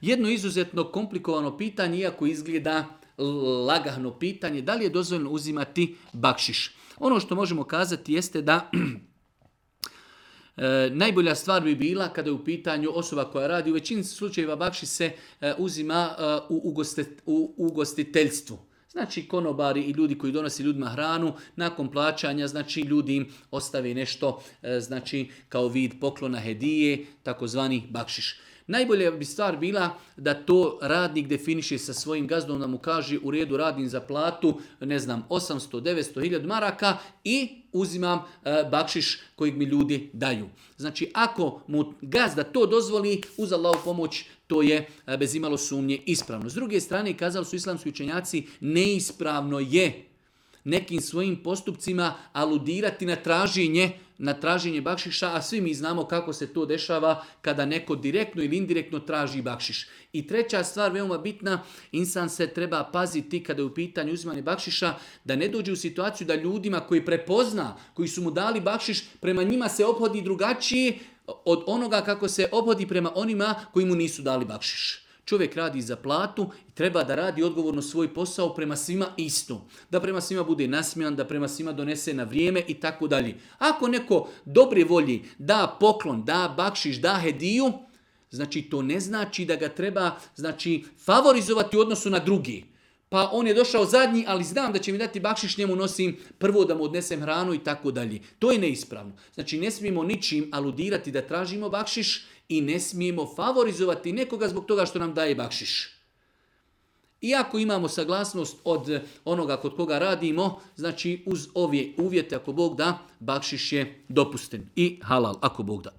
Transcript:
Jedno izuzetno komplikovano pitanje, iako izgleda lagano pitanje, da li je dozvoljeno uzimati bakšiš? Ono što možemo kazati jeste da najbolja stvar bi bila kada je u pitanju osoba koja radi. U većini slučajeva bakšiš se uzima u ugostiteljstvu. Znači konobari i ljudi koji donose ljudima hranu, nakon plaćanja, znači ljudi im ostave nešto, znači kao vid poklona, hedije, takozvani bakšiš. Najbolja bi stvar bila da to radnik definiše sa svojim gazdom, da mu kaže u redu radim za platu, ne znam, 800, 900, 1000 maraka i uzimam bakšiš kojeg mi ljudi daju. Znači ako mu gazda to dozvoli, uz Allahovu pomoć, to je bez imalo sumnje ispravno. S druge strane, kazali su islamski učenjaci, neispravno je nekim svojim postupcima aludirati na traženje bakšiša, a svi mi znamo kako se to dešava kada neko direktno ili indirektno traži bakšiš. I treća stvar, veoma bitna, insan se treba paziti kada je u pitanju uzimanje bakšiša, da ne dođe u situaciju da ljudima koji prepozna, koji su mu dali bakšiš, prema njima se ophodi drugačije od onoga kako se ophodi prema onima koji mu nisu dali bakšiš. Čovjek radi za platu i treba da radi odgovorno svoj posao prema svima isto. Da prema svima bude nasmijan, da prema svima donese na vrijeme i tako dalje. Ako neko dobre volji da poklon, da bakšiš, da hediju, znači to ne znači da ga treba favorizovati u odnosu na drugi. Pa on je došao zadnji, ali znam da će mi dati bakšiš, njemu nosim prvo da mu odnesem hranu i tako dalje. To je neispravno. Znači ne smijemo ničim aludirati da tražimo bakšiš i ne smijemo favorizovati nekoga zbog toga što nam daje bakšiš. Iako imamo saglasnost od onoga kod koga radimo, znači uz ove uvjete, ako Bog da, bakšiš je dopusten i halal, ako Bog da.